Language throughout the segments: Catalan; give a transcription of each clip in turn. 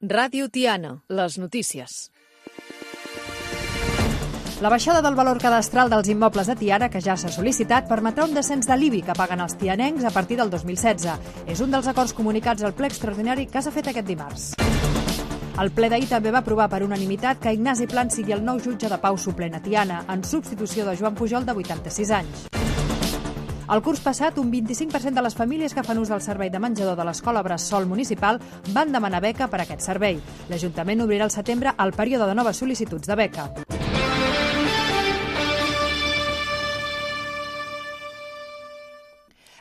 Ràdio Tiana, les notícies. La baixada del valor cadastral dels immobles de Tiana, que ja s'ha sol·licitat, permetrà un descens de l'IBI que paguen els tianencs a partir del 2016. És un dels acords comunicats al ple extraordinari que s'ha fet aquest dimarts. El ple d'ahir també va aprovar per unanimitat que Ignasi Plans sigui el nou jutge de pau suplent a Tiana, en substitució de Joan Pujol, de 86 anys. El curs passat, un 25% de les famílies que fan ús del servei de menjador de l'Escola Bressol Municipal van demanar beca per a aquest servei. L'Ajuntament obrirà al setembre el període de noves sol·licituds de beca.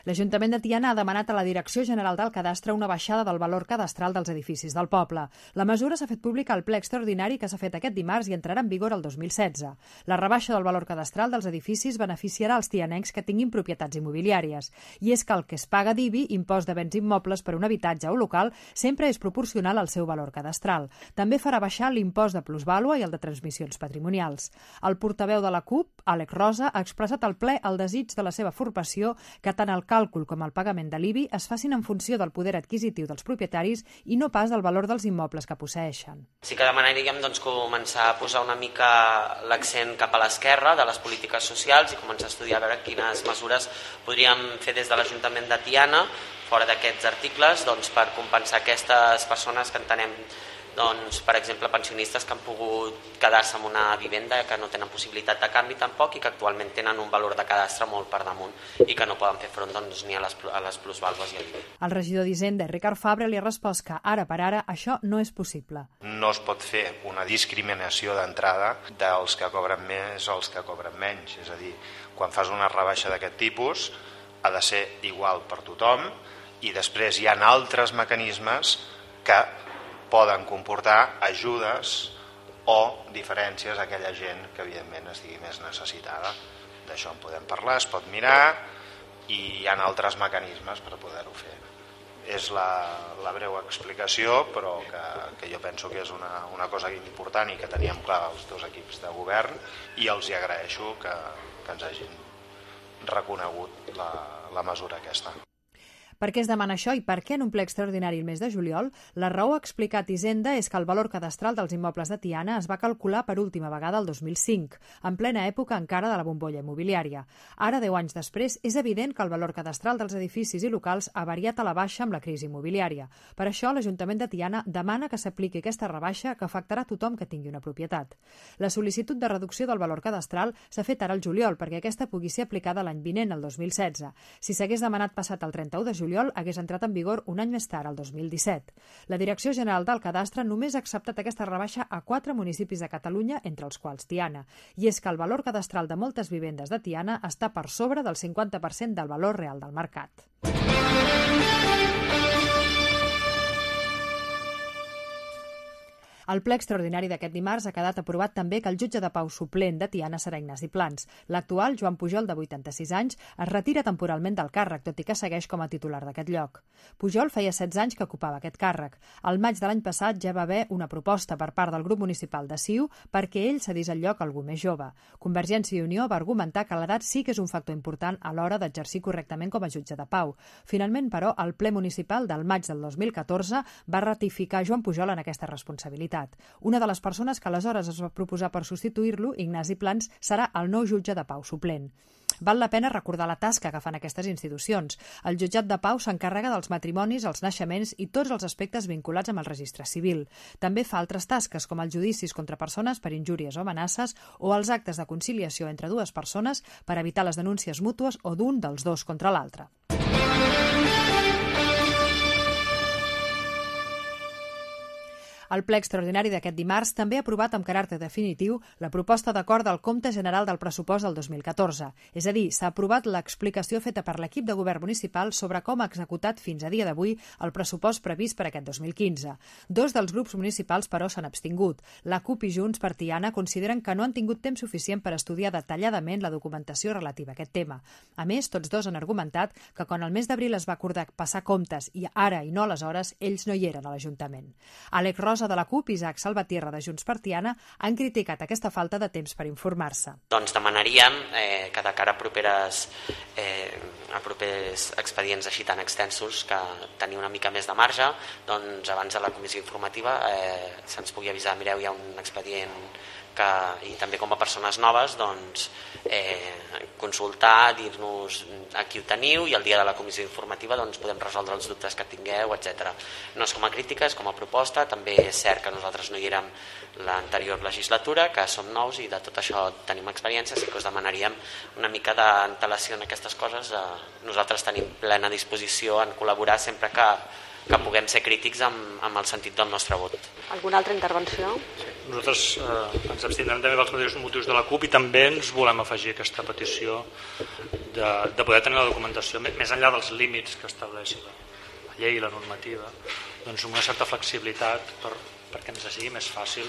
L'Ajuntament de Tiana ha demanat a la Direcció General del Cadastre una baixada del valor cadastral dels edificis del poble. La mesura s'ha fet pública al ple extraordinari que s'ha fet aquest dimarts i entrarà en vigor el 2016. La rebaixa del valor cadastral dels edificis beneficiarà els tianencs que tinguin propietats immobiliàries. I és que el que es paga d'IBI, impost de béns immobles per un habitatge o local, sempre és proporcional al seu valor cadastral. També farà baixar l'impost de plusvàlua i el de transmissions patrimonials. El portaveu de la CUP, Àlex Rosa, ha expressat al ple el desig de la seva formació que tant el càlcul com el pagament de l'IBI es facin en funció del poder adquisitiu dels propietaris i no pas del valor dels immobles que posseeixen. Sí que demanaríem començar a posar una mica l'accent cap a l'esquerra de les polítiques socials i començar a estudiar a veure quines mesures podríem fer des de l'Ajuntament de Tiana, fora d'aquests articles, per compensar aquestes persones que entenem, per exemple, pensionistes que han pogut quedar-se en una vivenda que no tenen possibilitat de canvi tampoc i que actualment tenen un valor de cadastre molt per damunt i que no poden fer front ni a les plusvàlues i a l'IBI. El regidor d'Hisenda, Ricard Fabre, li ha respost que ara per ara això no és possible. No es pot fer una discriminació d'entrada dels que cobren més o els que cobren menys. És a dir, quan fas una rebaixa d'aquest tipus ha de ser igual per tothom i després hi ha altres mecanismes que poden comportar ajudes o diferències a aquella gent que evidentment estigui més necessitada. D'això en podem parlar, es pot mirar i hi ha altres mecanismes per poder-ho fer. És la breu explicació, però que jo penso que és una cosa important i que teníem clar els dos equips de govern i els hi agraeixo que ens hagin reconegut la mesura aquesta. Per què es demana això i per què en un ple extraordinari el mes de juliol? La raó, ha explicat Hisenda, és que el valor cadastral dels immobles de Tiana es va calcular per última vegada el 2005, en plena època encara de la bombolla immobiliària. Ara, 10 anys després, és evident que el valor cadastral dels edificis i locals ha variat a la baixa amb la crisi immobiliària. Per això, l'Ajuntament de Tiana demana que s'apliqui aquesta rebaixa que afectarà tothom que tingui una propietat. La sol·licitud de reducció del valor cadastral s'ha fet ara al juliol perquè aquesta pugui ser aplicada l'any vinent, el 2016. Si s'hagués demanat passat el 31 de juliol, hagués entrat en vigor un any més tard, el 2017. La Direcció General del Cadastre només ha acceptat aquesta rebaixa a 4 municipis de Catalunya, entre els quals Tiana. I és que el valor cadastral de moltes vivendes de Tiana està per sobre del 50% del valor real del mercat. Al ple extraordinari d'aquest dimarts ha quedat aprovat també que el jutge de pau suplent de Tiana serà Ignasi Plans. L'actual, Joan Pujol, de 86 anys, es retira temporalment del càrrec, tot i que segueix com a titular d'aquest lloc. Pujol feia 16 anys que ocupava aquest càrrec. Al maig de l'any passat ja va haver una proposta per part del grup municipal de CiU perquè ell cedís el lloc a algú més jove. Convergència i Unió va argumentar que l'edat sí que és un factor important a l'hora d'exercir correctament com a jutge de pau. Finalment, però, el ple municipal del maig del 2014 va ratificar Joan Pujol en aquesta responsabilitat. Una de les persones que aleshores es va proposar per substituir-lo, Ignasi Plans, serà el nou jutge de pau suplent. Val la pena recordar la tasca que fan aquestes institucions. El jutjat de pau s'encarrega dels matrimonis, els naixements i tots els aspectes vinculats amb el registre civil. També fa altres tasques, com els judicis contra persones per injúries o amenaces o els actes de conciliació entre dues persones per evitar les denúncies mútues o d'un dels dos contra l'altre. El ple extraordinari d'aquest dimarts també ha aprovat amb caràcter definitiu la proposta d'acord del Compte General del Pressupost del 2014. És a dir, s'ha aprovat l'explicació feta per l'equip de govern municipal sobre com ha executat fins a dia d'avui el pressupost previst per aquest 2015. Dos dels grups municipals, però, s'han abstingut. La CUP i Junts per Tiana consideren que no han tingut temps suficient per estudiar detalladament la documentació relativa a aquest tema. A més, tots dos han argumentat que quan el mes d'abril es va acordar passar comptes i ara i no aleshores, ells no hi eren a l'Ajuntament. Àlex Rosa Tortosa de la CUP i Isaac Salvatierra de Junts per Tiana han criticat aquesta falta de temps per informar-se. Doncs demanaríem que de cara a propers expedients així tan extensos, que tenir una mica més de marge, doncs abans de la comissió informativa se'ns pugui avisar, mireu, hi ha un expedient i també com a persones noves doncs, consultar, dir-nos a qui ho teniu i el dia de la comissió informativa doncs, podem resoldre els dubtes que tingueu, etc. No és com a crítica, és com a proposta. També és cert que nosaltres no hi érem l'anterior legislatura, que som nous i de tot això tenim experiència, sí que us demanaríem una mica d'antelació en aquestes coses. Nosaltres tenim plena disposició en col·laborar sempre que puguem ser crítics amb el sentit del nostre vot. Alguna altra intervenció? Sí. Nosaltres ens abstindrem també pels mateixos motius de la CUP i també ens volem afegir aquesta petició de poder tenir la documentació més enllà dels límits que estableix la llei i la normativa, doncs amb una certa flexibilitat perquè ens sigui més fàcil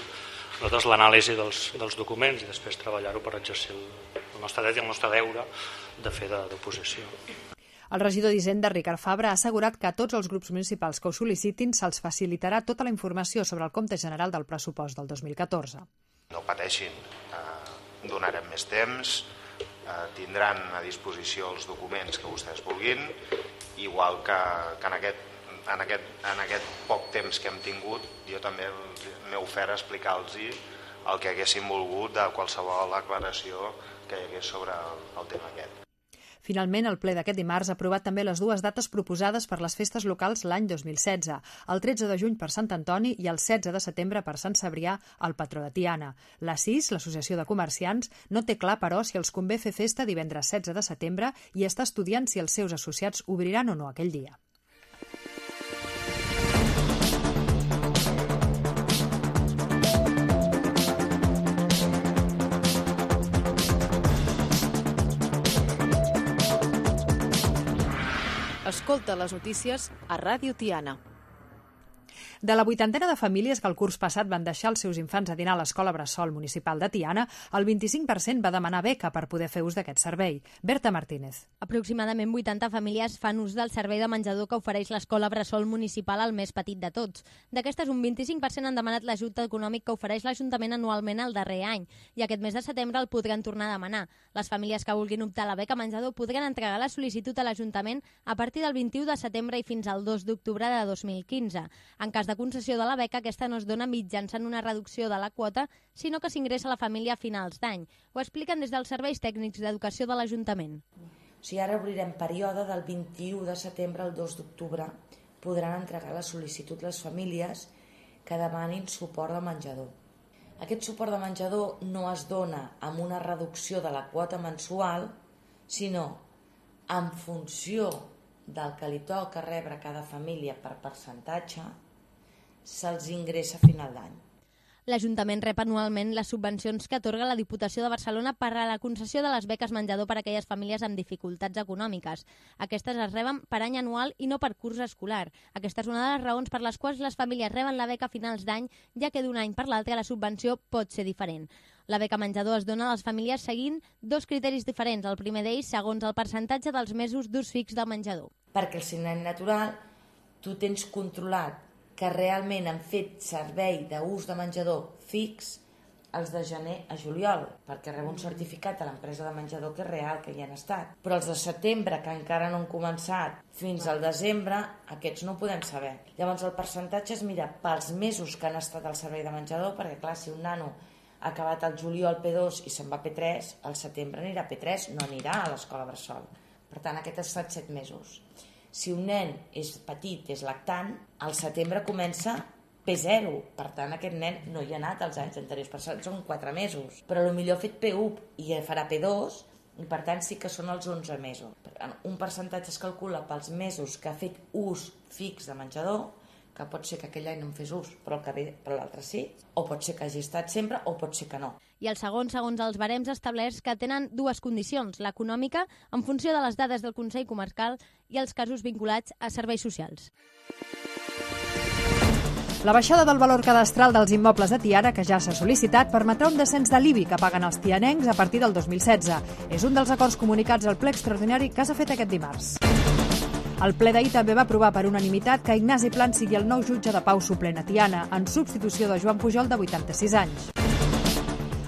nosaltres l'anàlisi dels documents i després treballar-ho per exercir el nostre dret i el nostre deure de fer d'oposició. El regidor d'Hisenda, Ricard Fabra, ha assegurat que a tots els grups municipals que ho sol·licitin se'ls facilitarà tota la informació sobre el compte general del pressupost del 2014. No pateixin, donarem més temps, tindran a disposició els documents que vostès vulguin, igual que en aquest poc temps que hem tingut, jo també m'he ofert a explicar-los el que haguessin volgut de qualsevol aclaració que hi hagués sobre el tema aquest. Finalment, el ple d'aquest dimarts ha aprovat també les dues dates proposades per les festes locals l'any 2016, el 13 de juny per Sant Antoni i el 16 de setembre per Sant Cebrià, el patró de Tiana. La CIS, l'Associació de Comerciants, no té clar, però, si els convé fer festa divendres 16 de setembre i està estudiant si els seus associats obriran o no aquell dia. Escolta les notícies a Ràdio Tiana. De la 80ena de famílies que el curs passat van deixar els seus infants a dinar a l'Escola Bressol Municipal de Tiana, el 25% va demanar beca per poder fer ús d'aquest servei. Berta Martínez. Aproximadament 80 famílies fan ús del servei de menjador que ofereix l'Escola Bressol Municipal, el més petit de tots. D'aquestes, un 25% han demanat l'ajut econòmic que ofereix l'Ajuntament anualment el darrer any, i aquest mes de setembre el podran tornar a demanar. Les famílies que vulguin optar a la beca menjador podran entregar la sol·licitud a l'Ajuntament a partir del 21 de setembre i fins al 2 d'octubre de 2015. En cas de concessió de la beca, aquesta no es dona mitjançant una reducció de la quota, sinó que s'ingressa a la família a finals d'any. Ho expliquen des dels serveis tècnics d'educació de l'Ajuntament. O sigui, ara obrirem període del 21 de setembre al 2 d'octubre. Podran entregar la sol·licitud les famílies que demanin suport de menjador. Aquest suport de menjador no es dona amb una reducció de la quota mensual, sinó en funció del que li toca rebre a cada família per percentatge, se'ls ingressa a final d'any. L'Ajuntament rep anualment les subvencions que atorga la Diputació de Barcelona per a la concessió de les beques menjador per a aquelles famílies amb dificultats econòmiques. Aquestes es reben per any anual i no per curs escolar. Aquesta és una de les raons per les quals les famílies reben la beca a finals d'any, ja que d'un any per l'altre la subvenció pot ser diferent. La beca menjador es dona a les famílies seguint dos criteris diferents. El primer d'ells, segons el percentatge dels mesos d'ús fix del menjador. Perquè el signant natural, tu tens controlat que realment han fet servei d'ús de menjador fix els de gener a juliol, perquè rep un certificat a l'empresa de menjador que és real, que hi han estat. Però els de setembre, que encara no han començat, fins al desembre, aquests no ho podem saber. Llavors el percentatge es mira pels mesos que han estat al servei de menjador, perquè clar, si un nano ha acabat el juliol P2 i se'n va a P3, al setembre anirà a P3, no anirà a l'escola Bressol. Per tant, aquest ha estat 7 mesos. Si un nen és petit, és lactant, al setembre comença P0. Per tant, aquest nen no hi ha anat els anys anteriors, per tant són 4 mesos. Però potser ha fet P1 i farà P2, i per tant sí que són els 11 mesos. Per tant, un percentatge es calcula pels mesos que ha fet ús fix de menjador, que pot ser que aquell any no en fes ús, però el que ve per l'altre sí, o pot ser que hagi estat sempre, o pot ser que no. I el segon, segons els barems establerts, que tenen dues condicions, l'econòmica, en funció de les dades del Consell Comarcal, i els casos vinculats a serveis socials. La baixada del valor cadastral dels immobles de Tiana, que ja s'ha sol·licitat, permetrà un descens de l'IBI que paguen els tianencs a partir del 2016. És un dels acords comunicats al ple extraordinari que s'ha fet aquest dimarts. El ple d'ahir també va aprovar per unanimitat que Ignasi Plans sigui el nou jutge de pau suplent a Tiana, en substitució de Joan Pujol, de 86 anys.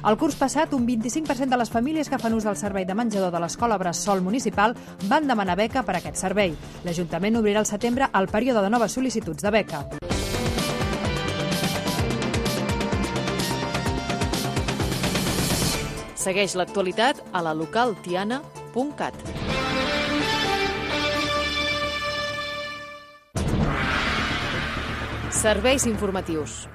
El curs passat, un 25% de les famílies que fan ús del servei de menjador de l'Escola Bressol Municipal van demanar beca per a aquest servei. L'Ajuntament obrirà al setembre el període de noves sol·licituds de beca. Segueix l'actualitat a la localtiana.cat. Serveis informatius.